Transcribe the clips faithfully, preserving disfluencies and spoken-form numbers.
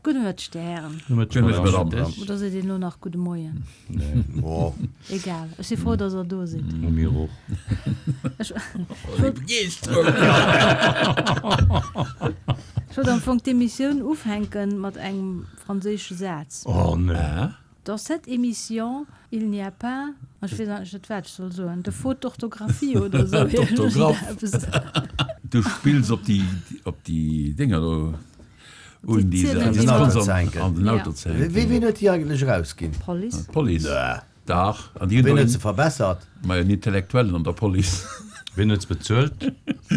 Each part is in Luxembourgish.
Gudde Mëtteg, Dir Hären. Gudde Mëtteg, Madame. Oder seet een elo nach gudde Moien? Nee. Oh. Egal, ech si frou, dass Der do sidd. Mir och. Ech Ech wollt am Fong d'Emissioun ufänken mat engem franséische Saz. Oh nee. Dans cette émission, il n'y a pas, ech weess eigentlech net, wat ech soll soen, de faute d'orthographie oder esou D'Orthographe. Du spills op déi, op déi Dénger do un, déi se An den Auto ze hänken. An den Auto ze hänken. Wee, ween huet déi eigentlech erausginn? D'Police. D'Police. Nee. Dach. An déi hunn Ween do huet se verbessert? Majo, en Intellektuellen an der Police. Wien huet se bezuelt?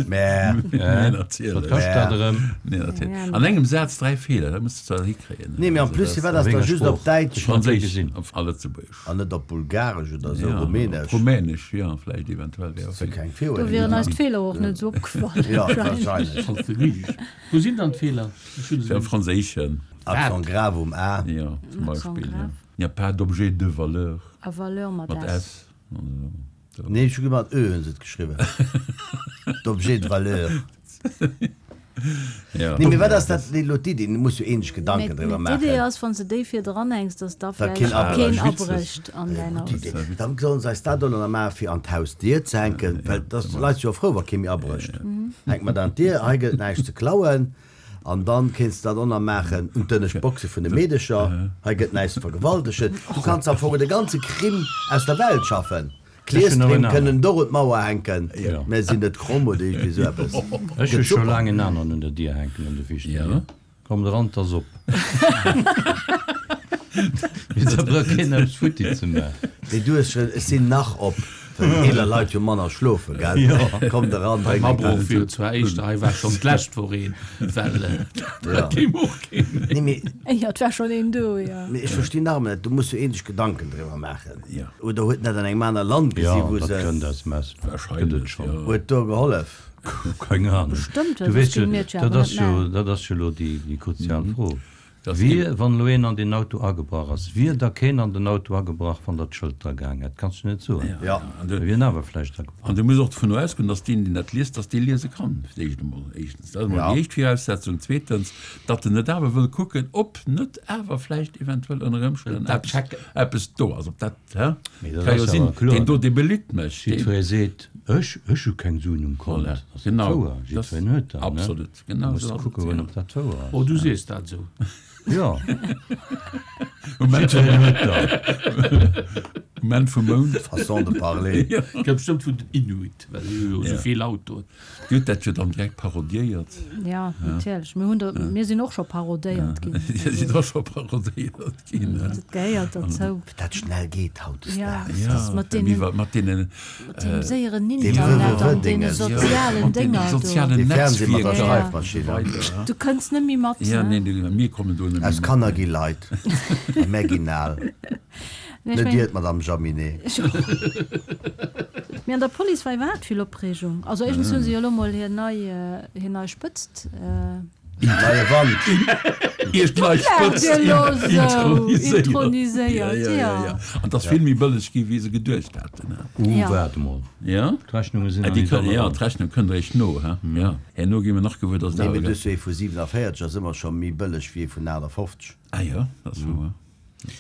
Mä. Nee, natierlech. Wat kascht dat erëm? Nee, natierlech. An engem Saz dräi Feeler, dat muss de zwar hikréien. Nee, mee en plus, firwat ass da just op Däitsch? Franséisch a Lëtzebuergesch. An net op Bulgaresch oder esou, Ja, Rumänesch? Rumänesch, jo, vläicht eventuell wär och. Keng Do wieren eis d'Feeler och net esou opgefall. Jo, wahrscheinlech. Wou sinn dann d'Feeler? Ech hunn se Am net. Franséischen. Accent grave um A. Jo, zum Accent Beispill, jo. grave. Il n'y a pas d'objet de valeur. A Valeur mat Mat S. S. Nee, ech hu mat Ö hunn se et geschriwwen. D'objet de valeur. Ja. Nee, mee wat ass dat elo d'Iddi? Du muss jo een sech Gedanken driwwer Mee d'Idee maachen. ass, wann s de déi vir dran hänks, dass da Da keen vläicht abrécht. keen abrécht an däin Gutt Haus. Idee. Dann sollen se eis dat elo nach maachen, fir an d'Hausdier ze hänken, well da si d'Leit jo frou, wa kee méi abrécht. Hänkt mer dat an d'Dier, hei gëtt et näischt ze klauen. An dann kéints de dat och nach maachen un d'ënnescht Boxe vun de Meedecher, hei gëtt näischt ze vergewaltegen. Du kanns am Fong de ganze Crime aus der Welt schaffen. D'Clearstream kënnen och un d'Mauer hänken, mä sinn net kromm oder iergendwéi esou eppes. Ech hu scho laang en aneren un der Dier hänken, un der viischter Dier. Kommt eran, 't ass op. Mee da brauch keen eppes futti ze maachen. Mee du hues schon, ech sinn nach op, well eeler Leit jo manner schlofen, gell? Kommt eran, Beim drénkt eng Abroch Tass. wier et zwar éischter, hei war schonn d'lescht Woch een, well dat géif och keen méi. Nee, mee. Jo, et war schonn een do, jo. Mee ech verstinn nach ëmmer net, du muss jo een sech Gedanken driwwer maachen. Oder huet en dat an engem aner Land gesi Jo, wou dat se. kënnt aus dem Ausland. Wahrscheinlech, Gëtt et schonn. jo. Huet do gehollef? Keng Ahnung. Bestëmmt, Du well soss weess jo, géinge mir et jo dat awer ass net jo, maachen. dat ass jo elo déi, déi kruzial Fro. Dass Wier, keen. wann elo een an deen Auto agebrach ass, wier da keen an den Auto agebrach, wann der d'Schëld dra gehaang hätt? Kanns du net soen. Ja. An du. Da wier en awer vläicht agebrach. An du muss och dovun ausgoen, dass deen, deen dat liest, dass dee liese kann, fir d'éischt emol. Éischtens, dat ass emol Ja. déi éischt Viraussetzung. Zweetens, datt en net awer wëll kucken, ob net awer vläicht eventuell ënner Ëmstänn Dat eppes, checken. eppes do ass, ob dat, hä? Mee dat Ka jo ass sinn, awer kloer. deen do, dee belitt mech, deen. Jiddweree seet, Ech, ech hu keng Suen um Kont. Voilà, Dat ass net genau. wouer. Dat, Jiddwereen huet der, ne? absolut, Da genau muss esou de ass et, kucke goen, ja. ob dat wouer ass. Oh, du sees dat esou. Jo. Um Enn vum, Jiddwereen huet der. um Enn vum Mount. Façon de parler. Ja. Kënnt bestëmmt vun den Inuit, well déi hu jo esou vill Autoen. Dir hutt dat jo dann direkt parodéiert. Ja, natierlech. Mir hunn der, mir sinn och scho parodéiert ginn. Dir sidd och scho parodéiert ginn. Dat gehéiert dozou. Wéi dat schnell geet hautdesdaags. Ja, Ja, mat wéi deenen, wa mat deenen, mat deem séieren Deem Internet an deene W W W-Dinges. sozialen mat deenen Dénger do. sozialen Dee Fernseh mat der Netzwierker Ja. an Schreifmaschinn. esou weider. Du kënns net méi mat, Ja, ne? nee, nee, mir kommen do net méi Aus mat. Kanner gi Leit, a mär ginn al. Nee, ech Net meng, Dir, d'Madame Jaminet. Mee an der Police war iwwerhaapt vill Opreegung. Also éischtens hu se jo elo mol hir nei, hir nei Spëtzt. Neie Wand. Iech nei Laacht Spëtzt Dir elo sou? introniséiert. Introniséiert, Ja, ja, ja, ja. ja. An 't ass vill méi bëlleg gi wéi se geduecht haten, he? Uh, Ja. waart emol. Ja? D'Rechnunge sinn Ah, nach déi nicht kënn, alle ja, ran. d'Rechnung kënnt eréischt no, he? Ja. Herno gi mer nach gewuer, dass Nee, et mee awer du hues jo ee vu siwenavéierzeg ass ëmmer scho méi bëlleg wéi ee vun achtafofzeg. Ah jo, dat ass wouer.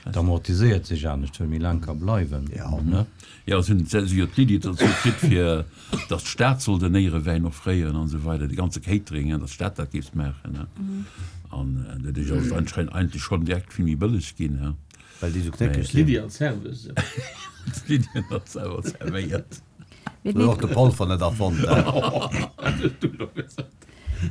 Dat amortiséiert sech anescht, well méi laang ka bleiwen. Ja. Ne? Ja, se hunn se jo d'Iddi dozou kritt, fir datt d'Stad soll den Éierewäin offréieren an esou weider, de ganze Catering, datt d'Stad dat géif maachen. An dat ass anscheinend eigentlech schonn direkt vill méi bëlleg ginn. Well déi esou knéckeg sinn. D'Lydie als Serveuse. D'Lydie als Serveuse servéiert. Mee Huet och de Polfer net erfonnt, he? Dat hues du elo gesot.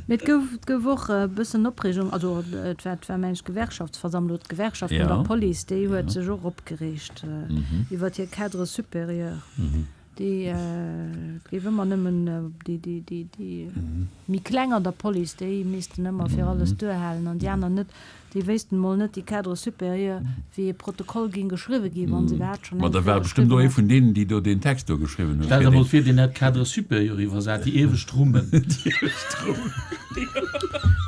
Mee et gouf, et gouf och e bëssen Opreegung, also et war, et war meng ech d'Gewerkschaftsversammlung, oder d'Gewerkschaft vun der Ja. Police, déi huet Ja. sech och opgereegt Mhm. iwwer hir Cadre supérieur, Mhm. déi, et géif ëmmer nëmmen déi, déi, déi, déi Mhm. méi kleng an der Police, déi missten ëmmer fir alles Mhm. duerhalen an déi aner net. Déi wéissten mol net, déi Cadres supérieurs, wéi e Protokoll ging geschriwwe ginn, wann se iwwerhaapt schonn Ma eng da Kéier war bestëmmt geschriwwen och ee hätten. vun deenen, déi do deen Text do geschriwwen hunn, Stell fir der mol deen. vir, deen hätt Cadre supérieur iwwersat, déi iewescht Rummen. Déi iewescht Rummen.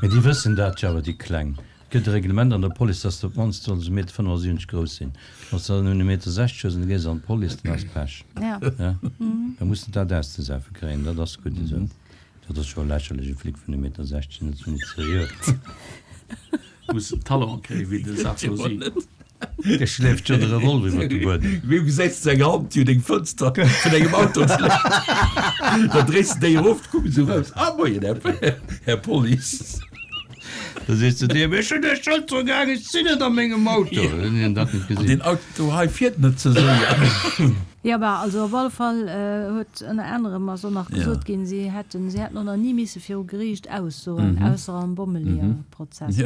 Mee déi wëssen dat jo awer, déi Kleng. Et gëtt e Reglement an der Police, dass de op d'mannst solls e Meter fënnefasiwwenzeg grouss sinn. Wann s de dann nëmmen e Meter sechzeg hues an du gees an d'Police, dann ass Pech. Ja. Ja? Da muss de dat auszesefe kréien, dat ass gutt esou. Dat ass scho lächerlech, e Flic vun e Meter sechzeg, dat ass jo net seriö. Muss Talon kréien wéi de Sarkozy. Dee schleeft jo de Revolver iwwer de Buedem. Wéi gesäis de eng Hand, déi un eng Fënster vun engem Auto schléit? Da dréis de déi erof, kucks esou raus, Ah, moien, Här Police. Da sees de deem, Ech hunn iech schonn dru gaang, ech sinn net a mengem Auto. Hunn hien dat net An gesinn. deen Auto hei fiert net ze séier. Jo, bah, also op alle Fall huet ënner anerem ass och nach gesot ginn, si hätten, si hätten och nach ni misse viru Geriicht aussoen, ausser am Bommeleeër-Prozess.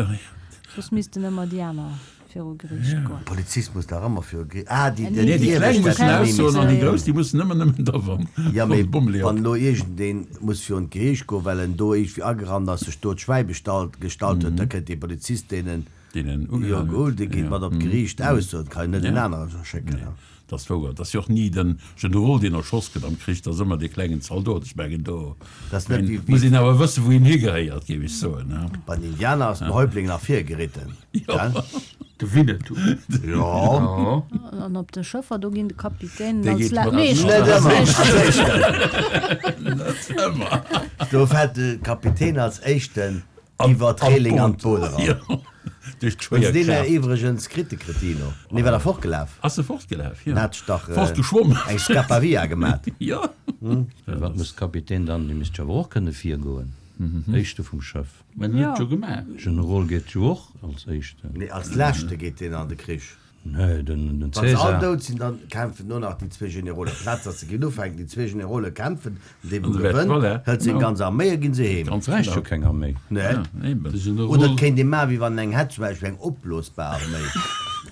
Soss missten ëmmer déi aner viru Geriicht goen. Polizist muss dach ëmmer viru Geriicht. Ah, déi, Nee, déi Kleng mussen aussoen an déi Grouss, déi mussen ëmmer nëmmen da wann Ja, mee Bommeleeër. wann elo iergendeen muss virun d'Geriicht goen, well en do iergendwéi agerannt ass, sech do d'Schwäi bestallt, gestallt huet, da kënnt dee Polizist, deen en Deen en jo ugehaen geholl, huet. dee geet mat op d'Geriicht aussoen, kann een net en anere schécken. Nee, dat ass wouer. Et ass jo och ni de Generol, deen erschoss gëtt am Krich, dat ass ëmmer dee klengen Zaldot. Ech mengen, do Dat ass net wéi, muss een awer wëssen, wou een higehéiert, géif ech soen, ne? Bei den Indianer ass den Häuptling nach virgeritten, gell? De Winnetou. Jo. An op de Schëffer, do ginn de Kapitänen Dee als geet la mat meeschtens Net als ëmmer, éischten. als éischten. Net ëmmer. Do fält de Kapitän als éischten iwwer d'Reeling an d'Boot eran. Jo, duerch Hunn se deen d'Schwéierkraaft. iwwregens kritt, de Cretino? Nee, war der fortgelaf? Ass e fortgelaf, jo. Den hat sech dach Fortgeschwommen. eng Scapavia gemat. Jo. Wat muss Kapitän dann, dee misst jo awer och kënne virgoen, Éischte vum Schëff. Mä en huet et jo gemaach. Generol geet jo och als Éischten. Nee, als Leschte geet deen an de Krich. Nee, den, den Wann se all Cäsar. dout sinn, dann kämpfen nur nach déi zwee Generolen. Plaz, datt se ginn ufänken, déi zwee Generole kämpfen, an dee wou An se wäert- gewënnt, voilà, hëlt seng genau. ganz Arméi a ginn se heem. Ganz Bräicht jo genau. keng Arméi. Nee. Ja, eben. De Oder Generol. et kéint ee maachen, wéi wann en eng hätt, zum Beispill eng opblosbar Arméi.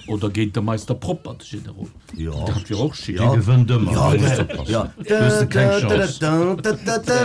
Oder géint de Meister Propper, de Generol. Jo. Dat wier och schick. Dee gewënnt ëmmer, Ja, do musst de- oppassen. ja. Do hues de keng Chance.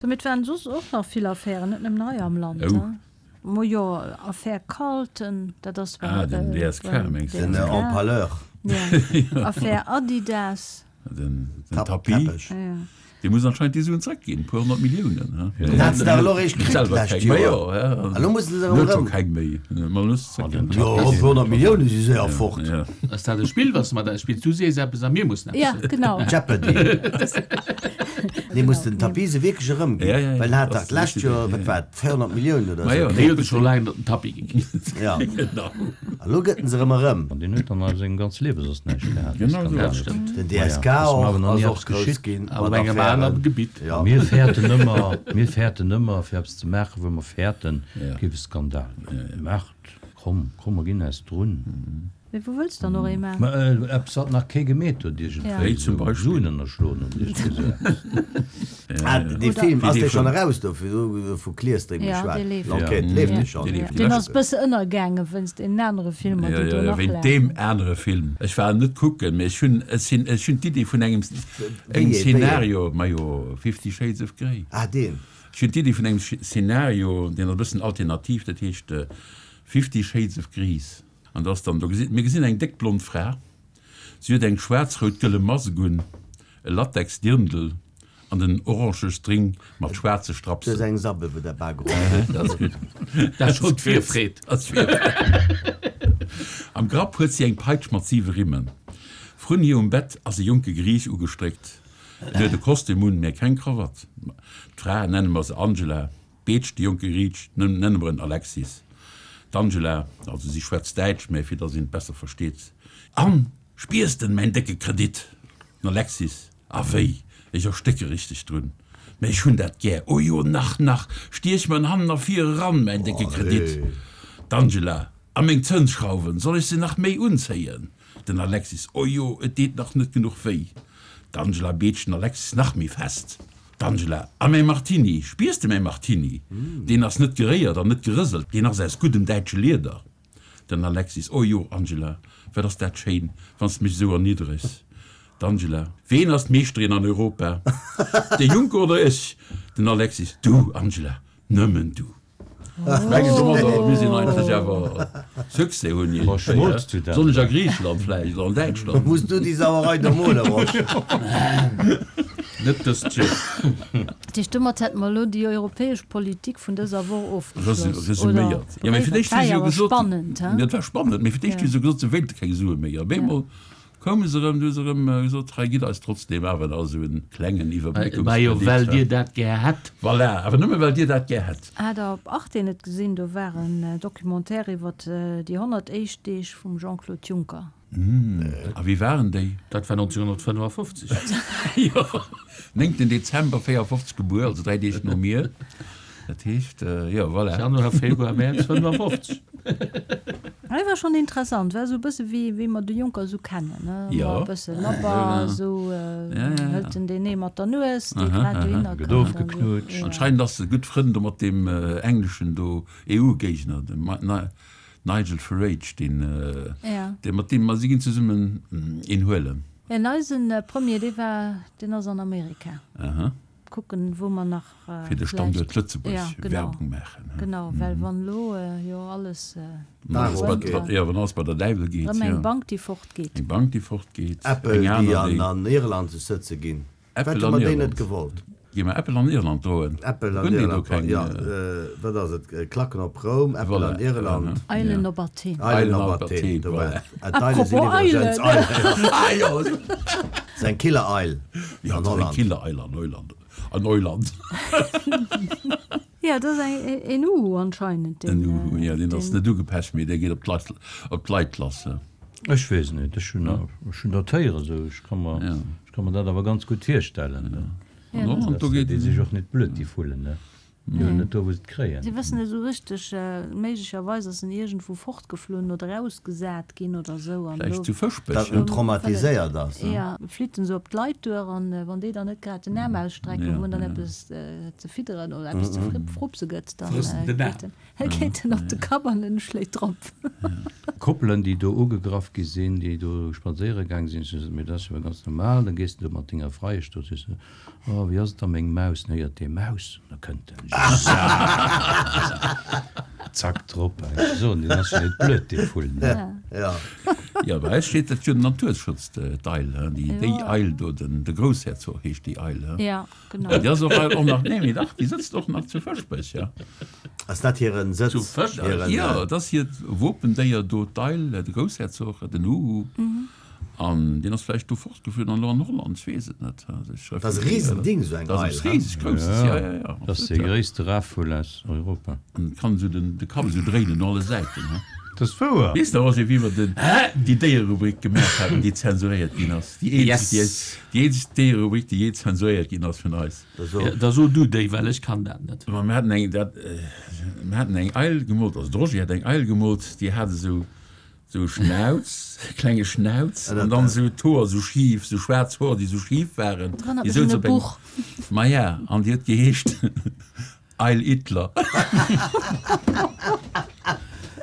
Domat waren soss och nach vill Affären, net nëmmen hei am Land. Oh. Hein? Mo jo, Affär Carlton, dat ass Ah, den äh, D S K, beim mengst du? Den D S K. Empaleur. Ja. Affär Adidas. Den, den Tap- Tapis. Teppech. Ja. Dee muss anscheinend déi Suen zréckginn, e puer honnert Milliounen. He? Den hat se dach elo eréischt kritt Selwer d'lescht keng méi, Joer. jo, ja. Elo mussen se erëm Huet scho erëm. keng méi. Ma elo zréckginn. Jo, e puer honnert Millioune si séier fort. Ja. Ass dat e Spill, was mer da spills? Du sees eppes a mir mussen eppes Ja, soen. genau. Jeopardy. Nee, muss den Tapis se wierklech erëmginn. Ja, ja, ja. Well en hat Das dach d'lescht ist richtig, Joer, ja, wat ja. war et, véierhonnert Milliounen oder Ma jo, esou Dee kritt. huet scho laang net den Tapis gekritt. Ja. Genau. Elo gëtt en se erëm erëm. An deen huet dann a sengem ganze Liewe soss näischt gehat. Genau esou. Skandal. Dat stëmmt. Den Ma ja, D S K ass mer och awer nach ass ni och eppes grouss geschitt. ginn Op mat engem aneren Affären. Gebitt. Ja. Mir fäerten ëmmer, mir fäerten ëmmer, fir eppes ze maachen, wou mer fäerten, Ja. et géif e Skandal ginn. Maacht, komm, komm, mer ginn eis drun. Mee wou wëlls dann och ee maachen? Ma äh, eppes, wat nach kee gemeet huet, Ja. iergendwéi Wéi zum esou Beispill? Suen ënnerschloen oder iergendwéi esou eppes. Ah, dee Oder- Film, ass Wéi dee dee schonn vun- eraus do, vu vu Clearstream Ja, geschwat? dee leeft. L'Enquête Ja. leeft Ja. dee schonn? Dee leeft. Deen ass e bësse ënnergaange wéinst deenen anere Filmer, Ja, déi do ja, ja, nach wéint lafen. deem anere Film. Ech war net kucken, mee ech hunn, ech sinn, ech hunn d'Iddi vun engem, Wéi engem ee, wéi ee? Szenario, majo, Fifty Shades of Grey. Ah, deen. Ech hunn d'Iddi vun engem Szenario, deen ass e bëssen alternativ, dat heescht Fifty Shades of Grease. An das dann, do gesi, mir gesinn eng déck blond Fra, si huet eng schwaarz-rout-gëlle Mask un, e Latex-Dirndl an den orange String mat schwaarze Du hues Strapsen. eng Sabbel, wou der Bak geroch huet. Dat ass gutt. Dat ass schonn d'Virfreed. Dat ass Virfreed. Am Grapp huet si eng Peitsch mat siwe Rimmen. Vrun hir um Bett ass e jonke Griich ugestréckt. En huet e Kostüm un, mä keng Krawatt. D'Fra, nenne mer se Angela, beetscht de jonke Griich, nenne mer en Alexis. D'Angela, also si schwätzt Däitsch, mä fir datt een et besser versteet, An, spiers de mäin décke Kredit? Den Alexis, A wéi, ech erstécke richteg drun. Mä ech hunn dat gär. O jo, nach, nach, stiech mer en hannen a vir eran, mäin décke Kredit. D'Angela, A meng Zënsschrauwen, soll ech se nach méi unzéien? Den Alexis, O jo, et deet nach net genuch wéi. D'Angela beetscht den Alexis nach méi fest. D'Angela, A mäi Martini, spiers de mäi Martini? Deen ass net geréiert an net gerëselt, deen ass aus guddem däitsche Lieder. Den Alexis, O jo, Angela, wat ass dat schéin, wann s de mech esou erniddregs. D'Angela, Ween ass d'Meeschterin an Europa? De Juncker oder ech? Den Alexis, Du, Angela, nëmmen du. Ech mengen domadder misst een eigentlech awer Succès hunn iergendwéi, he? Besonnesch a Griicheland vläicht oder an Däitschland. Muss du déi Sauerei do molen, Rosch? Net dëst Joer. Dat heescht, domat hätte mer elo déi europäesch Politik vun dëser Woch ofgeschloss, oder? Resuméiert. Jo, mee fir Dat d'éischt war hu se jo jo awer gesot, spannend, he? Jo, dat war spannend, mee fir d'éischt hu se gesot, se wéilte keng Sue méi. Op eemol Koume se erëm, du hu se erëm gesot, hei gitt eis trotzdem awer nach esou en klengen Iwwerbréckungskredit. Majo, well Dir dat gär hätt. Voilà, awer nëmme well Dir dat gär hätt. Hat Der op Arte net gesinn, do war en Documentaire iwwert déi honnert éischt Deeg vum Jean-Claude Juncker. A wéi waren déi? Dat war nonzénhunnertfënnefafofzeg. Jo, néngten Dezember véierafofzeg gebuer, also dräi Deeg no mir. Dat heescht, jo, voilà. Januar, Februar, Mäerz fënnefafofzeg. Hei war schonn interessant, war esou e bësse wéi wéi mer de Juncker esou kennen, ne, Jo. e bësse labber, esou hëlt en deen ee mat der Nues, dee grad dohinner Gëtt kënnt an esou. ofgeknutscht. Anscheinend ass e gutt Frënn do mat deem engleschen do EU-Géigner, dem Nigel Farage, deen, dee mat deem, ma si ginn zesummen een huelen. En eisen Premier, dee war, deen ass an Amerika. Aha. Kucken, wou mer nach Fir de Standuert vläicht, Lëtzebuerg ja, genau, Werbung maachen. genau, well wann elo jo alles Wann alles bei, erëm ja, wann alles bei der Däiwel geet, eng jo. Bank, déi fortgeet. Eng Bank, déi fortgeet, Apple, eng déi aner, an déi. an Irland sech sëtze ginn. Wat Apple hu an mer déi net Irland. gewollt? Gi mer Apple an Irland droen? Apple an Hunn déi do Irland, keng. ja, wat ass et, Klacken op Roum, Apple Voilà, an Irland. Eilen op Athen. Eilen Eilen op op Athen, Athen, do war voilà. et. D'Eile sinn Apropos iwwregens Eilen. Eilen. Ah jo! Dat ass eng Killereil Ja, an dat ass eng Holland. Killereil an Neuland. An Neuland. Ja, dat ass eng, een Uhu anscheinend, En deen, Uhu, ja, deen ass deen. net ugepecht, mee dee geet op d'Leit, op d'Leit lass. Ech weess net, ech hunn, ech hunn dat héieren esou, ech ka mer, Ja. ech ka mer dat awer ganz gutt virstellen. Ja, An dat Holland, do Dass geet déi sech och net blöd, déi Vullen, ne? Déi hunn net do, wou se et kréien. Si wëssen net esou richteg, méiglecherweis ass en iergendwou fortgeflunn oder ausgesat ginn oder esou an Vläicht elo. zu Fëschbech, Dat ja. en traumatiséiert ass, ne? Ja, flitt en esou op d'Leit duer an wann déi dann net grad den Aarm ausstrecken, Ja, wou en dann ja. eppes ze fidderen oder eppes ze frupse gëtt, dann Frësst en den Aarm. geet en, geet en op de Kapp an en schléit drop. Koppelen, déi do ugegraff gi sinn, déi do spadséiere gaang sinn, ech sot, mee dat ass jo ganz normal, da gees de do mat denger Freiesch do, sees de, oh, wéi ass et da, meng Maus? Dann héiert dee Maus, an da kënnt en, zack, drop. Ech soen, deen ass jo net blöd, dee Vull, ne? Ja. Ja, bei eis steet dat jo den Naturschutz, d'Eil, hein, déi, déi Jo. Eil do, den, de Groussherzog heescht déi Eil, hein. Ja, genau. Ja, déi ass och, och nach, nee, mee dach, déi sëtzt och nach zu Fëschbech, ja. Ass dat hiren Sëtz? Zu Fëschbech? Hiren, Ja, dat ass hiert Wopendéier do, d'Eil, de Groussherzog, den Uhu. An deen ass vläicht do fortgeflunn an elo an Holland, ech weess et net. Also ech Dat ass e Risending, esou eng Dat ass Eil, eppes he? riseg Grousses, ja, ja, ja, Dat ass absolut, dee ja. gréisste Rafvull aus Europa. An kann esou den, de Kapp esou dréinen no alle Säiten, he? Dat ass wouer! Weess de, Roger, wéi mer den, déi Déiererubrik gemaach haten, déi zensuréiert ginn ass? Déi eenzeg, déi, Yes! déi eenzeg Déiererubrik, déi jee zensuréiert ginn ass vun eis. Da so. Ja, da so du déi, well ech kann dat net. Ma mir haten eng, dat, mir haten eng Eil gemoolt, also de Roger hat eng Eil gemoolt, déi hat esou, Sou Schnauz, klenge Schnauz, an dann sou d'Hoer sou schif, sou schwaarz Hoer, déi sou schif waren. Dat erënnert Déi mech souz un e op engem, Buch. maja, an déi huet geheescht Eil Hitler.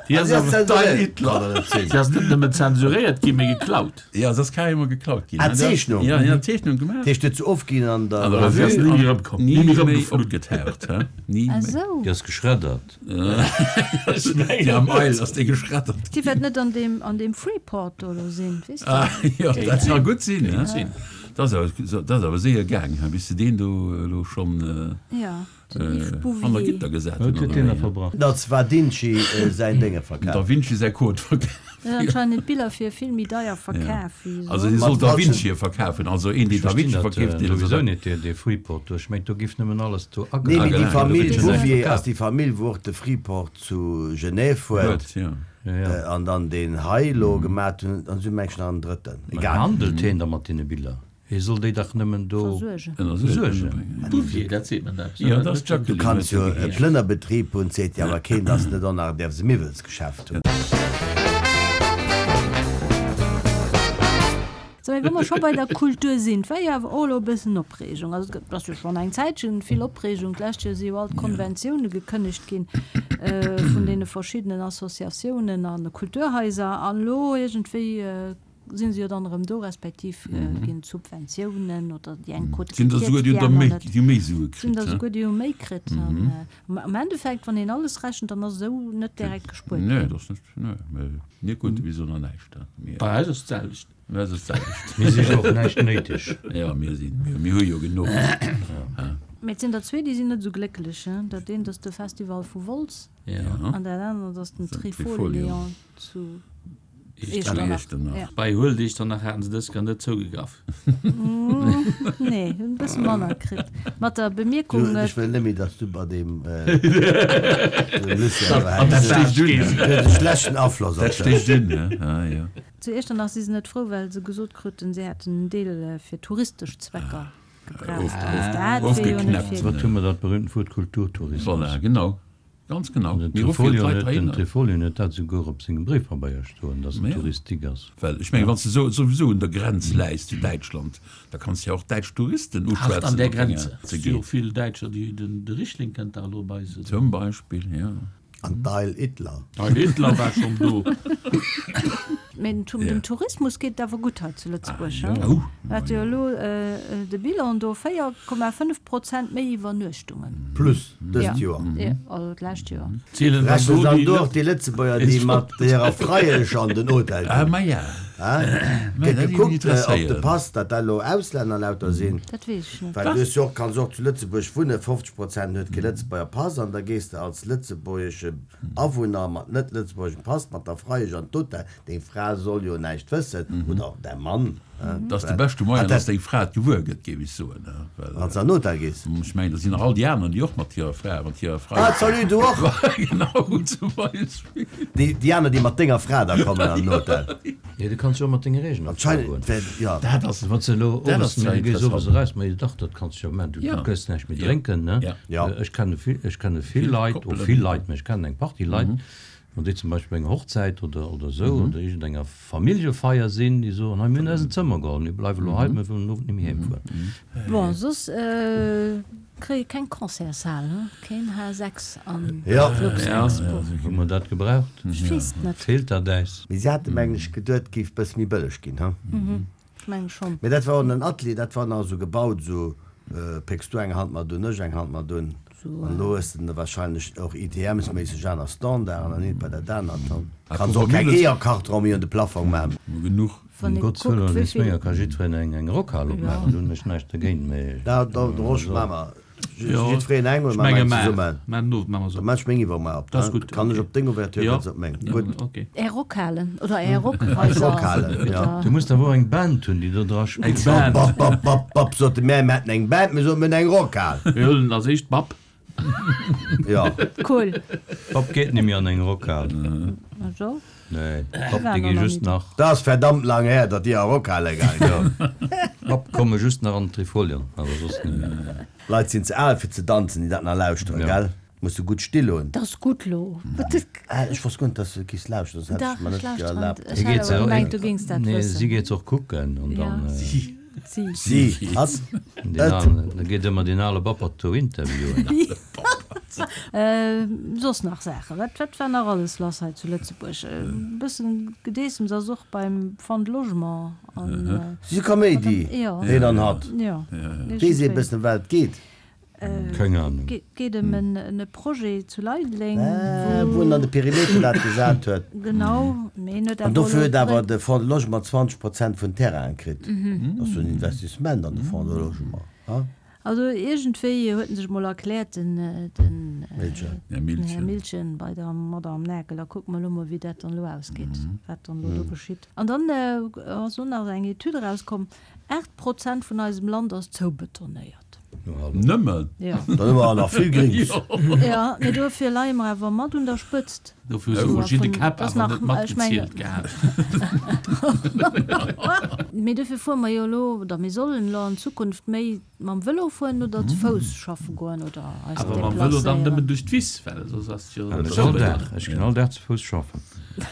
Déi ass awer, D'Eil Hitler. déi ass net nëmmen zensuréiert ginn, mee geklaut. Ja, se ass carrément geklaut ginn. Ah, Zeechnung? Ja, ja, Zeechnung gemaach. Dat heescht, huet se ofginn an der An der Revue? Revue Ni méi an erëmkomm, ni ni méi méi erëmgeflunn. opgetaucht, he? Ni Ah méi. sou. Déi ass geschreddert. Déi am Eil ass déi geschreddert. Déi wäert net an deem, an deem Freeport do elo sinn, weess de? Ah, jo, dat ka gutt sinn, he? Sinn. Dat ass awer, dat ass awer séier gaang, he, bis se deen do elo schonn Ja, den Yves hanner Bouvier. Gitter gesat Wat hunn, huet oder deen da wéi? verbrach? Dat war Vinci säin Dénge Da verkaf. Vinci säi Code verkaf. En huet anscheinend d'Biller fir vill méi deier verkaf wéi Also dee soss. soll Mat Da falschen. Vinci verkafen, also een, deen Ech Da verstinn Vinci dat verkeeft, deen souwisou net, dee, dee Freeport do. Ech mengt, do giff nëmmen alles do Nee, mee agehandelt déi ginn, do Famill gëtt jo näischt Bouvier ass verkaf. déi Famill, wou och de Freeport zu Genève huet. Huet, ja. Ja, ja. An dann deen hei elo gemat hunn, an si hu mengen ech nach en drëtten. Mä Egal. handelt heen da mat deene Biller? Hie soll déi dach nëmmen do Versuergen. versuergen. Bouvier, dat seet mer eppes. Ja, dat ass Du d'Jacqueline, kanns huet jo se e geheescht. Plënnerbetrib hunn, seet jo awer keen, dass de net och nach däerfs e Miwwelsgeschäft hunn. So, mee wa mer scho bei der Kultur sinn, et war jo awer och elo e bëssen Opreegung. Also et ass jo schonn eng Zäitchen vill Opreegung. D'lescht Joer si jo all d'Konventioune gekënnegt ginn vun deene verschiddenen Associatiounen a Kulturhaiser. An elo iergendwéi sinn se jo dann erëm do, respektiv ginn d'Subventiounen oder déi eng krute Sinn der gekierzt, souguer déi déi hunn der aner méi, net. déi hu méi Sue Sinn kritt, der he? souguer déi hu méi kritt. An am Endeffekt, wann een alles rechent, dann ass esou net direkt gespuert Nee, ginn. dat ass net, nee, mä mir krute bis elo nach näischt, he? Mir, Bei eis ass d'selwecht. bei eis ass d'selwecht. Mir si jo och näischt néideg. Ja, mir sinn, mir, mir hu jo genuch, he? Mee et sinn der zwee, déi sinn net esou glécklech, he? Dat eent ass de Festival vu Wolz Ja. an dat anert ass den Den Trifolion Trifolion. zu. Echternach. Echternach. Bei Huelt Echternach haten se dës Kéier net zougegraff. Nee, hunn e bësse manner kritt. Mat der Bemierkung. Du, ech wëll net méi, dass du bei deem Lucien An dat stécht un. Huet e schlechten Afloss op Dat dech. stécht un, ne? Ah, jo. Zu Echternach si se net frou, well se gesot kruten, se hätten en Deel fir touristesch Zwecker gebraucht. Dat wier jo net Ofgeknäppt. fir. Wat hu mer dat berühmten Wuert Kulturtourismus? Voilà, genau. Ganz genau. Den Mir ruffen Trifolion d'Leit huet, den heihinner. Trifolion huet dat souguer op sengem Bréifpabeier stoen, dass en Ja. Touristique ass. Well ech mengen, wann s de sou souwisou un der Grenz läis zu Däitschland, da kanns de ja och däitsch Touristen Hart uschwätzen an der op denger Grenze. ze Et si jo ginn. vill Däitscher, déi den de Richling kënnt dach elo bei se. Zum Beispill, ja. An d'Heil Hitler. Heil Hitler war schonn do. Mee dem Ja. dem Tourismus geet et awer gutt hei zu Lëtzebuerg, Ah, he? jo. Hat jo elo de Bilan do, véier Komma fënnef Prozent méi Iwwernuechtungen. Plus dëst Ja. Joer. Ja, also d'lescht Joer. Zielen dann Rechnen do dann déi do och déi Lëtzebuerger, déi mat hirer Freiesch an den Hotel Ah, ginn? ma ja. Hä? Ma Gëtt dat géif mech gekuckt, ob de interesséieren. Pass, datt dat elo Auslänner lauter sinn. Dat weess ech net. Well du hues jo och, kanns och zu Lëtzebuerg wunnen, fofzeg Prozent huet kee Lëtzebuerger Pass an da gees de als lëtzebuergesche Awunner mat net lëtzebuergeschem Pass mat der Freiesch an d'Hotel. Deng Fra soll jo näischt wëssen, oder däi Mann. Dat ass de beschte Moyen, dass deng Fra et gewuer gëtt, géif ech soen. Wann s de an den Hotel gees. Ech mengen, dat sinn nach all déi aner, déi och mat hirer Fra, mat hirer Freiesch. Ah, salut, du och! Genau, zum Beispill. Déi, déi aner, déi mat denger Fra da kommen an den Hotel. Nee, du kanns jo och mat denger eegener Fra goen. Anscheinend, well, ja. Dat ass, Wann s de elo dat owes, ass zwar du gees owes interessant. eraus, ma jo dach, dat kanns du jo maachen, du Ja. gëss näischt méi Ja. drénken, ne? Ja. Ja. Ech kenne vill, ech kenne vill Vill Leit, oh, Koppelen. vill Leit, mä ech kennen eng Partie Leit, wann déi zum Beispill bei enger Hochzäit oder, oder esou oder iergendenger Familljefeier sinn, déi soen, hei, mir hunn eis en Zëmmer geholl, mir bleiwe elo hei, mir wëllen den Owend net méi heemfueren. Bon, soss kréie keng Concertshal, he? Keen H sechs an Ja. Luxexpo. Hu mer dat gebraucht? Ech weess et net. Feelt dat äis? Mee si hate mengen ech geduet, et géif bësse méi bëlleg ginn, he? Ech menge schonn. Mee dat war och en Atelier, dat war nach esou gebaut, esou pécks du eng Hand mat un, ech eng Hand mat un. An elo hues de wahrscheinlech och I T Ms-méisseg aner Standarden an eent bei dat anert. Dann kanns och keng Eeërkarton méi un de Plafong maachen. Genuch. Wann Um ee Gottes kuckt, Wëllen, wéi wéinst vill. menger ka jiddwereen eng eng Rockhal opmaachen, do hunn ech näischt dergéint, mee. Da, da, de Rosch maache mer. Jo, Jiddwereen eng oder ech maache mer menge eng mar, zesummen? mar den Owend maache mer se Da op. maache ech meng iwwermuer op. Dat ass gutt, Kann ech okay. op deng Ouverture, Jo. kanns op meng. Gutt. Okay. Är Rockhalen oder Är Rockhaiser. Rockhalen, ja. Du muss awer och eng Band hunn, déi do dra spillt. Eng Band. Bap, bap, bap, bap, sote mär, mir hätten eng Band, mir soten, mir hunn eng Rockhal. Mir huelen als éischt Bap. Ja. Cool. Bap geet net méi an eng Rockhal. Also? Nee, Bap, War déi nach gi ni just do. nach. Dat ass verdammt lang her, datt déi a Rockhale gaang sinn. Bap komme just nach an d'Trifolion, awer soss net méi. Leit sinn ze al fir ze danzen, déi dat nach lauschteren, Ja. gell? Muss du gutt still hunn. Dat ass gutt lo. Ah, ech wosst guer net, dass du giss lauschteren, das hätt Dach, ech mer ech net lauschteren. erlaabt. Ech hat awer gemengt, du géings dat Nee, wëssen. si geet och kucken an Ja. dann. Si. Si. Si, hatt, Den et. alen, da geet ëmmer den ale Bappert do interviewen. Äh, soss nach Saachen. Wat, wat war nach alles lass hei zu Lëtzebuerg? E bëssen Gedeessems ass och beim Fonds de Logement an, äh, Si Kaméidi, Ja. deen an hatt. Ja. Weess ee bëssen, wat et geet? Keng Ahnung. Geet, geet ëm en, en Projet zu Leideleng, Äh, wou wou en an de Perimeter dat gesat huet. Genau, mee en huet An awer dofir elo huet awer dréi- de Fonds de Logement zwanzeg Prozent vun Terrainen kritt. Dat ass jo en Investissement an de Fonds de Logement, ha? Also iergendwéi huet en sech mol erkläert, den, den, Milchen. Här Milchen. Här Milchen bei der Madame Merkel. Da kucke mer elo mol, wéi dat dann elo ausgeet, wat dann elo do geschitt. An dann ass och nach eng Etüd erauskomm, Aacht Prozent vun eisem Land ass zoubetonéiert. Nëmmen? Jo. Dann hu mer nach vill Grings. Jo, mee dofir leie mer awer mat un der Spëtzt. Dofir hu se verschidde Käpp Das awer nach, net ech menge- matgezielt gehat. Mee dofir fuere mer jo elo, oder mir sollen elo an Zukunft méi mam Vëlo fueren oder zu Fouss schaffe goen oder eis Awer mam Vëlo dann deplacéieren. nëmmen duerch d'Wiss, well soss ass jo Ech all Dag, ech ginn all Dag zu Fouss schaffen.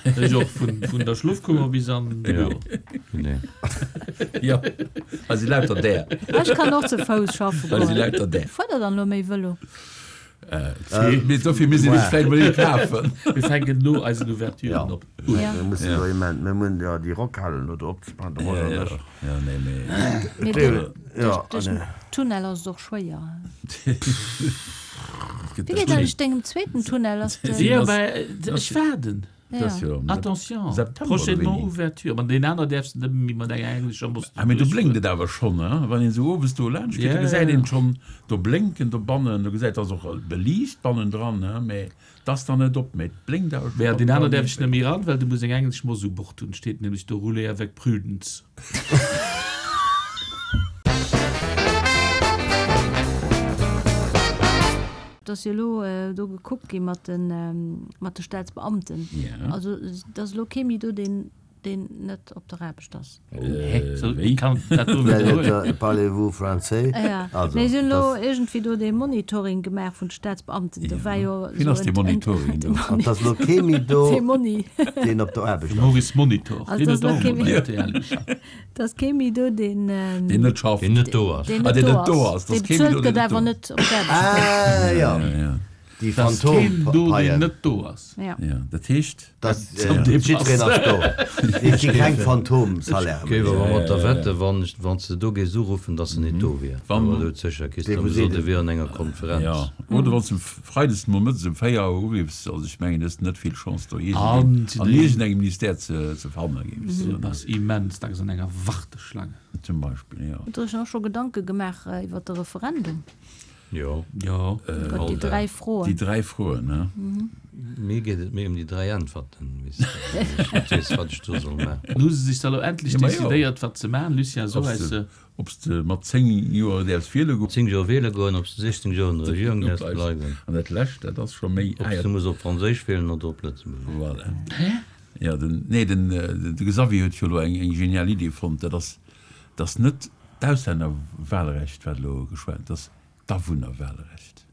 Ech och, vun, vun der Schlofkummer bis an de Ja. Büro. Nee. Jo, hei si lauter där. Ech kann och zu Fouss schaffen Hei si goen. lauter där. Fuert der dann elo méi Vëlo? Mee dofir misst een sech vläicht mol ee kafen. Mir fänken no eisen Ouverturen op. Ja. Mir mussen jo immens, mir mussen jo déi Rockhalen elo do opzemachen, de Roger Ja, an ech. ja, nee, mee. Mee Dee- duerch, ja, duerch den nee. Tunnel ass et och schwéier. Wéi Wéi geet eigentlech dengem zweeten Tunnel? Ass de Ja, mä ech waarden. Dat ass jo am Attention, September oder prochainement wéini? ouverture. Ma deen aner däerfs de net méi mat enger englescher Moss Ah, mee do blénkt et awer schonn, hein? Wann een esou owes do laanscht geet, Ja, do gesäit ja. een schonn do blénken dobannen. Do gesäit, ass och beliicht bannendran, hein? Mee 't ass dann net op, mee et blénkt awer schonn Mä an deen aner bannendran däerf ech net iergendwéi. méi eran, well du muss eng englesch Moss u Bord hunn. Steet nämlech do, Rouler avec prudence. Et ass jo elo do gekuckt gi mat de mat de Staatsbeamten. Ja. Also et ass elo kee méi do, deen deen net op der Aarbecht ass. Hä? Sou, Wéi? kann dat do widderhuelen? Parlez-vous français? Ja. Also, Nee, si hunn elo das, iergendwéi do dee Monitoring gemaach vun de Staatsbeamten. Do war jo Wien esou ass dee en, en, Monitoring de do? an dass elo kee méi do, Dee Moni. deen op der Aarbecht De ass. Maurice Monitor, Also deen ass huet elo och kee emol méi, bei R T L geschafft. et ass kee méi do, deen, Deen net schafft. Deen net do ass. deen Ah, net deen do net do ass. ass. Dee Dass kee méi bezuelt do, deen gëtt, net awer do ass. net op d'Aarbecht kënnt. Ah, ja. Ja, ja. Déi Dass keen do, deen Phantompaien. net do ass. Ja. Ja, dat heescht. Dass Zum äh, jiddwereen Depass. ass do. Et gi keng Phantomsalaire Géif méi. awer mat der wetten, wann ech, wann s de do géifs uruffen, dass en net do wier. Wann. Awer do sécher kriss Dee de wou gesot, seet e wier an enger Konferenz. Ja, oder wann s de freides nomëttes um véier Auer uriffs, also ech mengen, du hues net vill Chance do An iergendeen si an de. iergendengem Ministère ze, ze fanne géifs. Du bass immens dacks an enger Warteschlange. Zum Beispill, ja. Hutt Der Iech och scho Gedanke gemaach iwwer de Referendum? Jo. Jo. Iwwer déi All dräi Dag. Froen? Déi dräi Froen, ne? Mir geet et méi ëm déi dräi Äntwerten, weess de, well ech net weess, wat ech do soll maachen. Hu se sech da lo endlech Ja, ma jo. decidéiert, wat se maachen? Lucien, so Ob s heis de, se. ob s de mat zéng Joer däerfs wiele goen. Zéng Joer wiele goen, ob s de sechzéng Joer an der Regierung Do däerfs bleifs. bleiwen. An dat lescht, dat ass scho méi Ob s de muss op Franséisch wielen oder op Lëtzebuergesch. Voilà. Ja, den, nee, den, de Xavier huet jo elo eng, eng genial Idee fonnt, dat ass, dass net d'Auslännerwahlrecht, wat elo geschwat, dass d'Awunnerwahlrecht.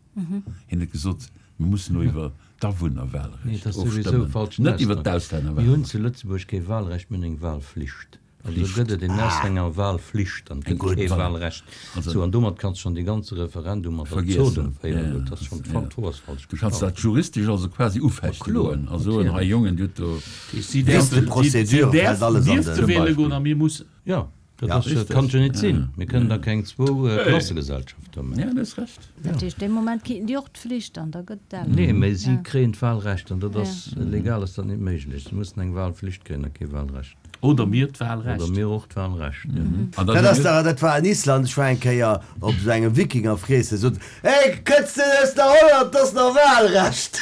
Hien huet gesot, mir mussen elo iwwer Nee, dat d'Awunnerwahlrecht ass souwisou ofstëmmen, falschen net iwwer Ausdrock. Mir d'Auslännerwahlrecht. hunn zu Lëtzebuerg kee Wahlrecht, mir hunn eng Wahlflicht. Also Flicht. gëtt et en Auslännerwahlflicht an et Eng gëtt gutt kee Wahl. Wahlrecht. Also Sou, an domat kanns du schonn dee ganze Referendum mat der vergiessen. Absurdum féieren. Ja, Dat ass schonn ja. d'Fro ass falsch Du kanns gestallt. dat juristesch also quasi Ma ufechte kloer, goen a soen, hei natierlech. Jongen, dir hutt do. Si Wéi däerfen, de si, si Procédure fält däerfen, alles an dierfte den. Zum wiele Beispill. goen a mir mussen. Ja, dat Ja, ass, dat Richtig. kann jo net Ja, sinn. Mir kënnen da ja. keng zwou Klassegesellschaft do maachen. Ja, du hues Recht. Dat heescht, dee Moment kriiten déi och d'Flicht an da gëtt et Nee, awer. mä si Ja. kréien d'Wahlrecht an dat Ja. ass, legal ass dat net méiglech. Si mussen eng Wahlflicht kréien a kee Wahlrecht. Oder mir Oder d'Wahlrecht. mir och d'Wahlrecht, jo. An Dat ass dach, dat war an Island, ech war eng Kéier op esou engem Wikingerfreessen, sot, Hey, kënns de aus der Holland, dat ass nach Wahlrecht!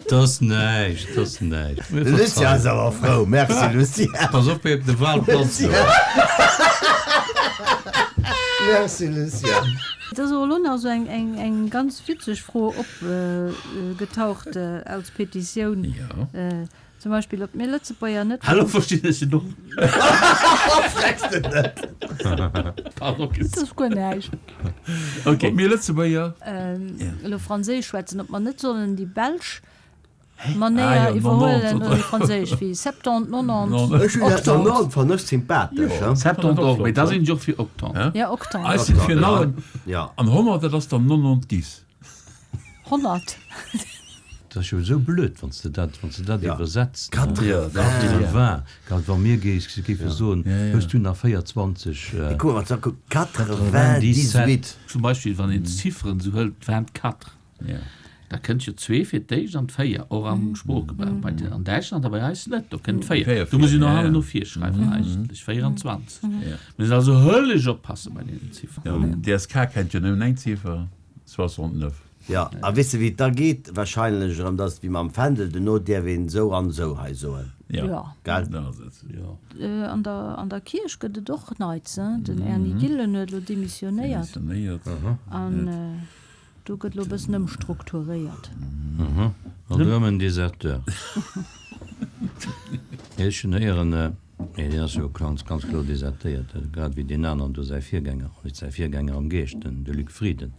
Dat ass näischt, dat ass näischt. Mir De Lucien ass verzeihen. awer frou. Merci, Lucien. Pass op, wéi op de Wahlplatz do. Merci, Lucien. Et ass och elo nach esou eng, eng, eng ganz witzeg Fro opgetaucht als Petitioun. Ja. Zum Beispill, ob mir Lëtzebuerger net. Hallo, verstinn ech en och. Frecks de net? Pardon. Dat ass guer näischt. Okay. Ob mir Lëtzebuerger. Elo Franséisch schwätzen, ob mer net sollen déi belsch Ah Manéier jo, iwwerhuelen nonante oder oder. déi franséisch, wéi septante, nonante, Nonante. Ech hunn dat octante. nonante fannen ech sympathesch, Jo. he? Septante och, mee da sinn ech och fir octante. Hä? Ja, octante. Eis sinn fir Octante, ja. nannen. Ja. An honnert, dat ass dann nonante-dix. Honnert. Dat ass jo esou blöd, wann s de dat, wann s de dat Ja. iwwersetzt, ne? Quatre-vingts. Quatre-vingts. Grad wa mir géif, géife soen, Ja, ja. hues du nach véierundzwanzeg, Ey, guck mal, wat sag, quatre-vingt-dix-huit. Zum Beispill, wann een d'Zifferen esou hëlt, vingt-quatre. Ja. Da kënnt jo zwee fir d'éischt an d'véier, och am Sproochgebrauch. Bei den, an Däitschland a bei eis net, do kënnt d'véier. Véier Do muss vir, een nach ja, hannen ja. no vir schreiwen eigentlech, véierundzwanzeg. Ja. Mir müssen also höllesch oppasse bei deenen Zifferen. Ja, den D S K kennt jo nëmmen eng Ziffer, soixante-neuf. Ja, a weess de wéi et da geet? Wahrscheinlech erëm, dass et wéi mam Fändel, duerno däerf een esou an esou hei soen. Ja. Ja. Gell? Dat ass et. Ja. An der, an der Kierch gëtt et och Neits, hein? Den Erny Gillen huet elo demissionéiert. Demissionéiert. An do gëtt elo e bëssen ëmstrukturéiert. An erëm en Deserteur. Ech hunn héieren, nee, deen ass jo ganz, ganz kloer desertéiert, grad wéi deen aneren do, säi Virgänger, net säi Virgänger am Geescht, den, de Luc Frieden.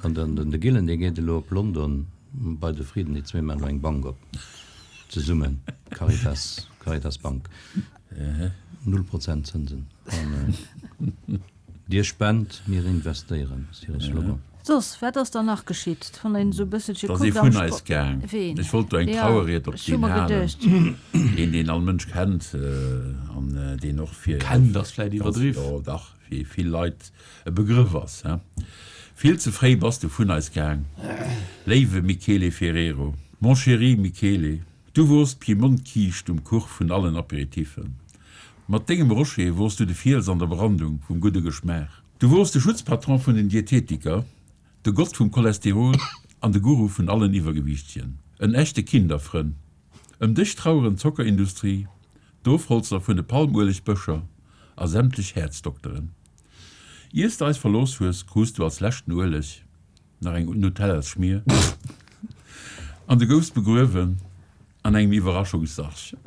An den, den de Gillen, dee geet elo op London bei de Frieden, déi zwee maachen elo eng Bank op, zesummen, Caritas, Caritas Bank. Null Prozent Zënsen. An Dir spent, mir investéieren, ass hire Slogan. Soss, wat ass dann nach geschitt? Wann een esou e bësselche Da si kuckt am vun eis Sport. gaang. Ween? Ech wollt do eng Jo, Trauerried op ech hu deen mer halen, geduecht. een, deen all Mënsch kennt an deen och fir Kennt ass vläicht ganz, iwwerdriww. jo dach, fir vill Leit e Begrëff ass, he. Vill ze fréi bass du vun eis gaang, léiwe Michele Ferrero. Mon chéri Michele, du wors d'Piemont-Kiischt um Kuch vun allen Apéritifen. Mat dengem Rocher wors du de Fiels an der Brandung vum gudde Geschmaach. Du wors de Schutzpatron vun den Dietetiker, de Gott vum Cholesterol an de Guru vun allen Iwwergewiichtegen. En echte Kinderfrënn. Ëm dech traueren d'Zockerindustrie, d'Ofholzer vun de Palmuelegbëscher a sämtlech Häerzdokteren. Iers de eis verlooss hues, krus du als leschten Ueleg nach eng Nutellasschmier an du goufs begruewen an engem Iwwerraschungssarg.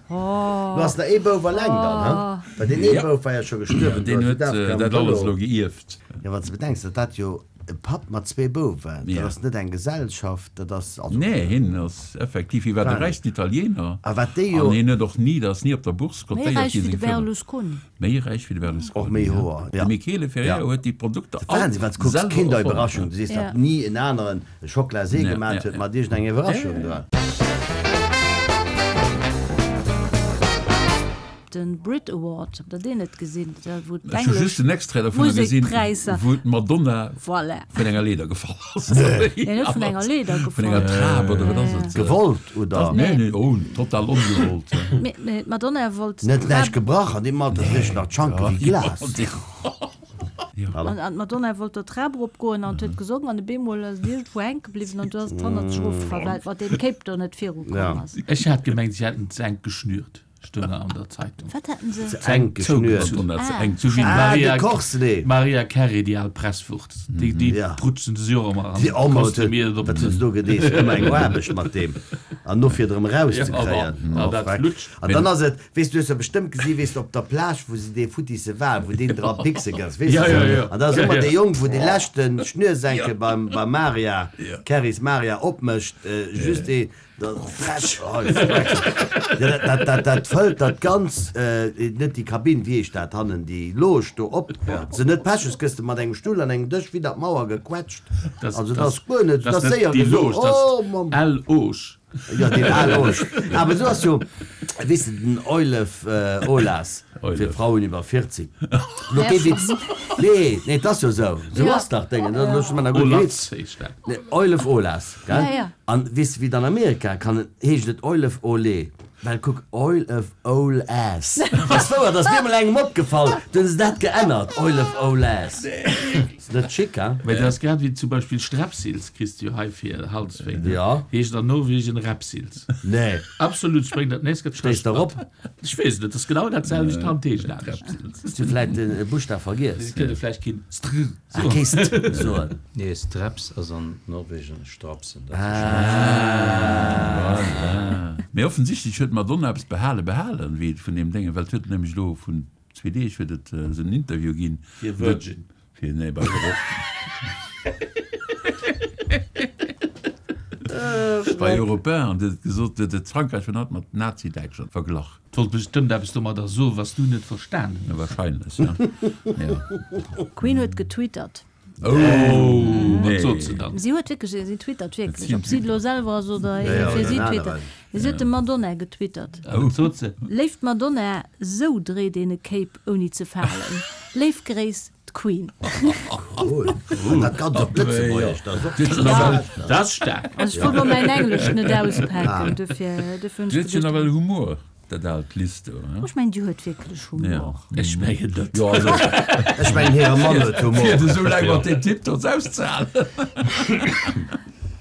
Du ass nach ee Bouf alleng dann, he? Well deen ee Bouf war jo scho gestuerwen, Deen huet dat alles elo geierft. Jo, wann s de bedenks, datt dat jo e Papp mat zwee Bouwen, dat ass net eng Gesellschaft, dat ass also. Nee, hien ass effektiv, hie war de räichsten Italiener A wat déi jo. an hien huet och ni, dat ass ni op der Bourse Méi kotéiert räich ginn, wéi de seng Firma. Berlusconi. Méi räich wéi de Och Berlusconi, méi ja. Hoer, De ja. Michele Ferrero huet déi Produkter Dat all Wahnsinn, wann s de kucks, selwer erfonnt, Kinderüberraschung, ne? du sees, Ja. datt ni en aneren e Chocolat-See Ja, gemat ja, huet ja. mat iergendeng Ja, Iwwerraschung ja, ja. dran. Den Brit Award, habt der deen net gesinn? Da wou Ech hu just d'englesch den Extrait dovunner gesinn, Musekpräisser. wou d'Madonna Voilà. vun enger Leeder gefall ass. Nee, net vun enger Leeder Vun enger gefall. Trap oder wat ass et? Gewollt oder? Nee, nee, oh, total ongewollt. Mee, mee d'Madonna wollt Net d'Trap. näischt gebrach, an deem Alter riech nach d'Schanke wéi Glas. An, an d'Madonna wollt der Trap eropgoen an huet gesongen an op eemol ass et iergendwou hänke bliwwen an du ass et hannert sech erofgefall, well et mat deem Cape do net virukomm Ja. ass. Ech hat gemengt, si hätten ze enk geschnürt. Stoung an der Zeitung. Wat hätten se? Ze enk geschnürt. Ah. Eng Sou wéi Ah, d'Maria de Corselet. Mariah Carey, déi al Presswucht. Déi, déi Ja. prutzen se jo och ëmmer an. Déi Oma Koste huet, mir et op wat den. huet se do gedeest? Ëmmer eng Aarbecht mat deem. An no fir et erëm erauszekréien. Ja, aber, Oh, dat freck. flutscht. An dann ass et, weess du, hues jo bestëmmt gesi, weess du, op der Plage, wou se dee futtisse Wal, wou deen dra pickse gëss, weess Ja, du ja, se? ja. An da ass Ja, ëmmer ja. dee Jong, wou dee leschten Schnürsenkel beim, beim Maria, Ja. Carys Maria opmécht, äh, just dee, da flash, oh, freck. Ja, dat, dat, dat, dat fëllt dat ganz, äh, net déi Kabinn, wéi heescht dat hannen, déi Loge do op. Se net Pech hues, gëss de mat engem Stull an engem Dësch widder d'Mauer gequetscht. Das, Also dat das, ass guer net, das dat ass net séier déi gesot. Loge, das Oh, Mann. L-Oge. Ja, den Al-Oge. Awer du ass jo, weess de, den Eulef, äh, Olas, fir Eulef. Frauen iwwer vierzig. Lo kee Witz. Nee, nee, dat ass jo sou. Sou Ja. ass dach Déngen. Dat ass schon mal gutt Olatz Witz. heescht dat. Nee, Eulef Olas, gell? Ja, ja. An weess de, wéi et an Amerika kann, heescht et Eulef Olé. Well kuck, Oil of Old Ass. Ass wouer, dat ass mir mol engem opgefall. Du hunn se dat geännert, Oil of Old Ass. Ass net schick, he? Mä dat ass grad wéi zum Beispill Strepsils kriss du jo hei fir Halswéi, ne? Ja. Heescht an Norwegen Repsils. Nee. Absolut, ech bréng dat nächst Kéier Stéiss der op? Ech weess et net, dat ass genau dat selwecht Hand heescht anescht. Hues du vläit e Buschtaf vergiess? Et kënnt ee vläicht keen Str Ah, soen. kee St soen. Nee, Streps ass an Norwegen Strapsen. Dat Ah. Mee offensichtlech huet d'Madonna eppes behale behalen, wéi et vun deem Déngen, well et huet nämlech elo vun zwee Deeg huet et esou en Interview ginn. Fir Virgin. Fir, nee, bei Europe. Bei Europe un an huet gesot, huet et Frankräich vun haut mat Nazi-Däitschland verglach. Wollt bestëmmt eppes domadder soen, wat s du net verstanen hues. Ja, wahrscheinlech, ja. Ja. Queen huet getwittert. Oh, nee. Wat sot se dann? Si huet wierklech, si twittert wierklech, Si ob si et elo selwer ass oder Ja, ee ja, fir oder si en twittert. aneren. Si huet dem Madonna getwittert. A wat sot se? Léift Madonna, sou dréit een e Cape ouni ze falen. Léif Gréiss, d'Queen. Cool. An dat ganz op Lëtzebuergesch, dat ass och Ja. Dat ass staark. Also ech wollt elo mäin Englesch net auspaken, dofir, dofir hunn Du ech huet jo geduecht. nawell Humor. Dat aalt List do, he? Ech mengen, déi huet wierklech Humor. Ech mengen net. Jo, also, Ech mengen, hire Mann huet Humor. Fir et esou laang mat deem Typ do auszehalen.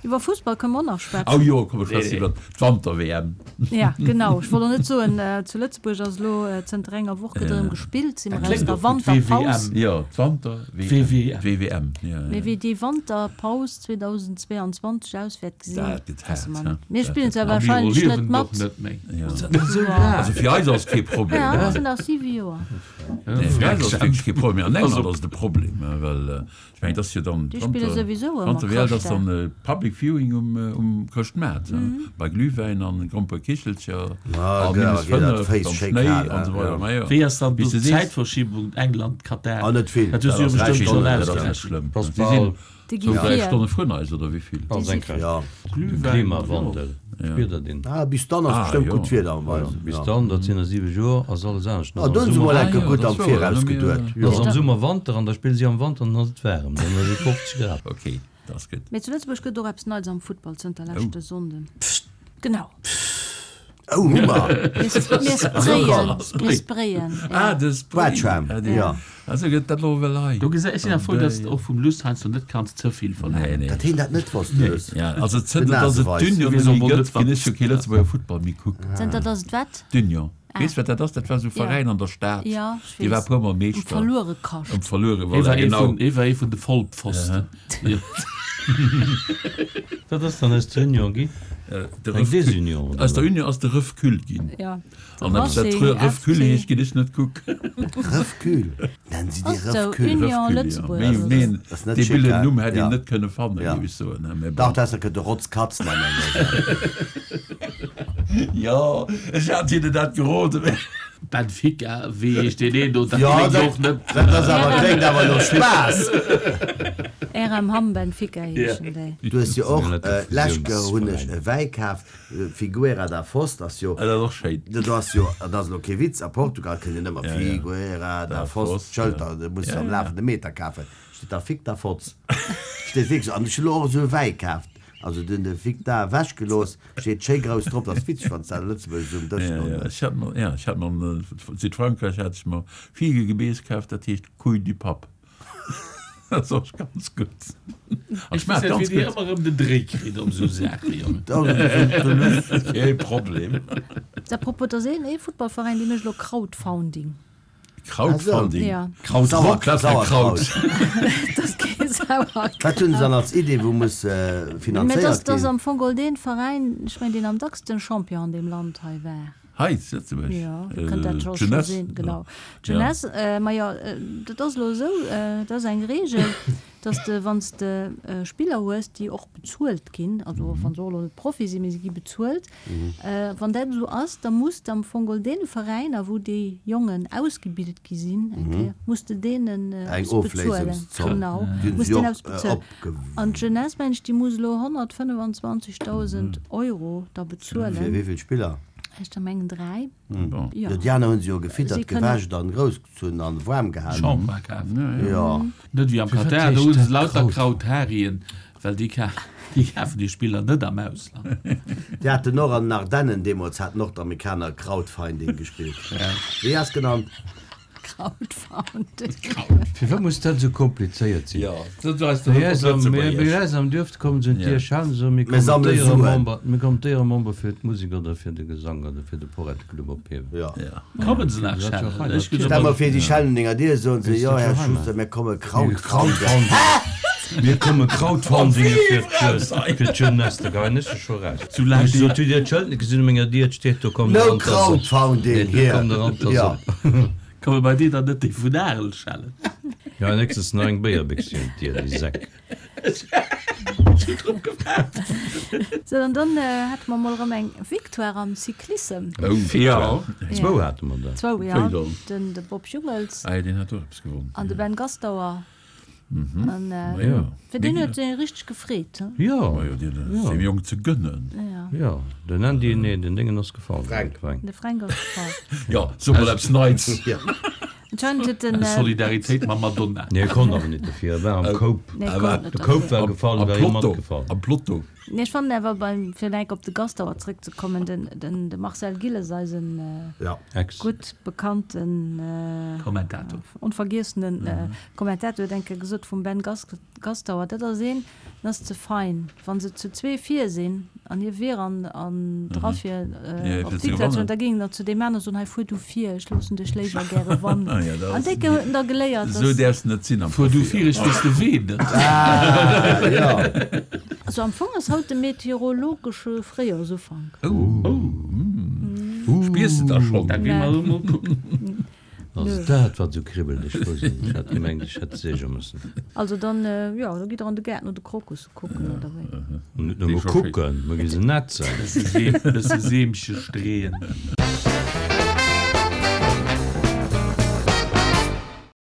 Iwwer Fussball kënne mer och nach schwätzen. Oh jo, komm, mer schwätzen iwwer d'Wanter-W M. Ja, genau. Ech wollt och net soen, zu Lëtzebuerg ass elo zënter enger Woch gëtt erëm gespillt, si mer Dat aus kléngt der och gutt, Wanterpaus. W W M. Jo, d'Wanter-W M. W W M. W W M, ja, Mee ja. wéi déi Wanterpaus zweetausendzweianzwanzeg aus wäert gesinn, Dat gëtt wësse haart, mer he? net. Mir Dat spillen gëtt zwar A mir wahrscheinlech net erliewen mat. och net méi. Ja. Ass dat esou laang? Also fir eis ass kee Problem, Ja, he? dat sinn nach siwe Joer. Nee, fir eis ass wierklech kee Problem, mee an England ass et e Problem, well ech mengen, et ass jo dann Déi spille souwisou ëmmer Wanter, W L, dat ass Chrëschtdag. dann Public Viewing um, um Chrëschtmaart, bei Glühwäin an Gromperekichelcher Ah, a gell, minus geet dat fënnef Féiss am schéi Schnéi kal, an esou ja. weider. Majo, Wéi ass dann wéi do s de sees, d'Zäitverschiebung England-Katar? Ah, net vill. Dat hues du jo Dat ass bestëmmt dräi schonn Stonnen, dat ass net ausgerechent. schlëmm. Pass Si sinn bal. Déi gi sou dräi vir. Stonne vrun eis, oder wéi vill? Bal Déi si senkrecht. Ja. Glühwäin, Klimawandel, spiert der deen? Ah, bis dann ass Ah, bestëmmt jo. gutt Wieder am Weisen. Bis Ja. dann, dat sinn a siwe Joer, ass alles anescht. Ah, do hunn se mol Ah, enke jo, gutt dat am ass wouer, Viraus dann hu mir- geduet. Da ass Jo. am Summer Wanter an da spille si am Wanter an dann ass et waarem, dann ass et fofzeg Grad. Okay, dat ass gutt. Mee zu Lëtzebuerg gëtt och eppes Neits am Futtball zënter leschte Sonnden. Genau. Oh, hu mer! Mir sprayen. Mir sprayen. Ah, de Spray. Quatscham, Ah, dee. ja. Also gëtt dat elo well hei. Do gesäis, ech sinn awer frou, dass de och vum Luss heiansdo net kanns ze vill Nee, verlaangen. nee. Dat heen dat net wosst, de Luss. Ja, also zënter Den dass et Naseweis. d'Union Wéi net soll méi man gëtt, net ginn ech jo kee Lëtzebuerger Futtball méi kucken. Zënter dass et wat? D'Union. Weess wat dat ass? Dat war esou e Veräin an der Stad. Ja, ech Dee war e weess. puer Mol Um Meeschter. Verluerekascht. Um Verluere, Hie voilà, war ee genau. vun, hie war ee vun de Vollpfosten. Ja. Wat ass dann aus der Union gi? De Eng Ref Desunion, oder Aus der wat? Union ass de Refcul ginn. Ja. An eppes dat Racing, Refcul F C. heescht, ginn ech net kucken. Refcul. Nennen si déi Ass sou, Refcul? Union Refcul, ja. Lëtzebuerg. Mee, Also, mee, Das ass net dee schick, billen hä? Numm hätt een Ja. net kënne fannen, Ja. géif ech soen, hä? Mee Dach, bon. dat kënnt de Rotzkatz nennen. Jo, ech hat hinnen dat geroden. Benfica, wéi heescht deen een do? Dat Ja, kléngt dat- och net. Dat ass awer, kléngt awer no Spaass. R M Hamm Benfica heeschen déi. Du hues jo och, Net de lescht Joer hunn ech Fusiounsveräin. e Wäi kaf, Figueira da Foz, ass jo, Ah, dat ass och schéin. Dat ass jo, dat ass elo kee Witz, a Portugal kënnt een ëmmer Ja, ja. Figueira da Da Foz, Foz, d'Schëlter, ja. do muss du Ja, am ja. lafende Meter kafen. Steet da Fick da Fotz. Steet wierklech, an ech hunn elo och esou e Wäi kaaft. Also den de Fick da ewechgelooss, steet schéi grouss drop, dat ass witzeg, wann s de dat a Lëtzebuerg esou um Dësch Ja, stoen ja, hues. ech hat mer, ja, ech hat mer an Südfrankräich hat ech mer Figegebeess kaaft, dat heescht Couille du Pape. Dat ass och ganz gutt. An Ech schmaacht weess net, ganz wéi dir gutt. ëmmer erëm den Dréi kritt om esou Saachen, Jongen. Kee Problem. À propos, da ass een ee Futtballveräin, dee mécht elo Crowdfounding. Crowdfunding. Ja. Krautrock, Sauer- Sauerkraut. Dat ass kee Sauerkraut. Wat hunn se dann als Idee, wou muss Mä dat finanzéiert ass ginn? am Fong geholl dee Veräin, ech mengen, deen am dacksten Champion an deem Land hei war. Hei zu Lëtzebuerg? Jo, du kënnt dat scho Jeunesse? sinn, genau. Jeunesse, ma jo, dat ass elo esou, dat ass eng Reegel, dass de, wann s de Spiller hues, déi och bezuelt ginn, also wann se och elo net Profi sinn, mee se gi bezuelt, wann dat esou ass, da muss de am Fong geholl deene Veräiner, wou déi Jongen ausgebildet gi sinn, eng Kéier, muss de deenen Eng eppes bezuelen. Ofléisungszomm. Genau, Déi hunn muss se jo deenen och eppes bezuelen. opge. An d'Jeunesse, mengen ech, déi muss elo honnertfënnefenzwanzegdausend Euro da Fir bezuelen. wéi vill Spiller? Ech der mengen dräi. Bon. Ja. Jo, déi aner hunn se jo gefittert, Si kënnen- gewäscht an groussgezunn an waarm gehalen. Shampoing kaf. Jo. Net wéi am Firwat Katar, do heescht hu se dat lauter Kraut? Krautharien, well déi ka déi kafen déi Spiller net am Ausland. Déi haten och an den Ardennen deemools, haten och d'Amerikaner Crowdfinding gespillt. Wéi ass genannt? Crowdfunding. Firwat muss dat esou komplizéiert sinn? Ja, dat weist Bei doch eis am, bei Lëtzebuergesch. eis am Duerf kommen se un Ja. d'Dier schellen, soen, mir Mir kommen sammele Suen. d'Éieremember, mir kommen d'Éieremember fir d'Musek oder fir de Gesang oder fir de Poretteclub ophiewen. Ja. Ja. Kommen se nach Dat ass jo schellen? fein, Ech ginn Stell mer ëmmer vir, déi schellen un denger Dier, soen se, Ist jo, dat Här jo Heimat? Schuster, mir komme Crowdfunding. Mir komme Crowdfundinge fir d'Je- fir d'Jeunesse, da geien ech scho raus. Soulaang Ech déi- sot, hutt Dir d'Schëld net gesinn un menger Dier, et steet do, komm No der Rand ass op. Crowdfunding Nee, do here. komm der Rand ass Ja. op. Komme bei dir dann net déi vun Arel schellen? Ja, nächstens nach eng Béierbéchs un d'Dier, déi Säck. Ech hunn drop gewaart. So, an dann hate mer mol erëm eng Victoire am Cyclissem. Oh, Ja. Zwou hate mer da. Zwou, ja. Pardon. Den, de Bob Jungels Ah, deen hat och eppes gewonnen. an de Ben Gastauer. An, Ma ja. fir deen huet sech richteg gefreet, he? Ja. Ma jo, deen ass dem Jong ze gönnen. Ja. Ja, den Andy, nee, den Déngen ass gefall. Frank. Frank. De Frank ass gefall. Ja, so mol eppes Neits. Ja. Anscheinend huet den, Solidaritéit mam Madonna. Nee, e konnt awer net dofir, e war am Koup. Nee, Awer konnt net De Koup dofir. war gefall, Am war hie Plotto. matgefall. Am Plotto. Nee, ech fannen awer beim, fir enk op de Gastauer zréckzekommen, den, den, de Marcel Gilles, eisen, Ja. Ex. gutt bekannten, Kommentator. onvergiessenen, Kommentator huet eng Kéier gesot vum Ben Gas Gastauer, dat ass een, dat ass ze fein. Wann se zu zwee vir sinn an hie wier an, an dra fir, Ja, op fir ze d'Victoire ze gewannen. hunn, da géing er zu deem anere soen, hei fuer du vir, ech loossen dech léiwer gäre wannen. Ah, ja, dat An ass- déi huet en da geléiert, Esou dass däerfs net sinn am Fuer du Profi. vir, ech weess de Wee net. Ah, ja. Also am Fong ass haut de meteorologesche Fréijoersufank. Oh. Oh. Mm. Spiers de da schonn? Da gi mer emol kucken. Ass et dat, wat esou kribbelt? Ech wousst et net. Ech hat gemengt, ech hätt seeche mussen. Also dann, jo, da gitt der an de Gaart no de Krokusse kucken, oder wéi? Net nëmme kucken, mer gi se netzen. Bësse Seemche streeën.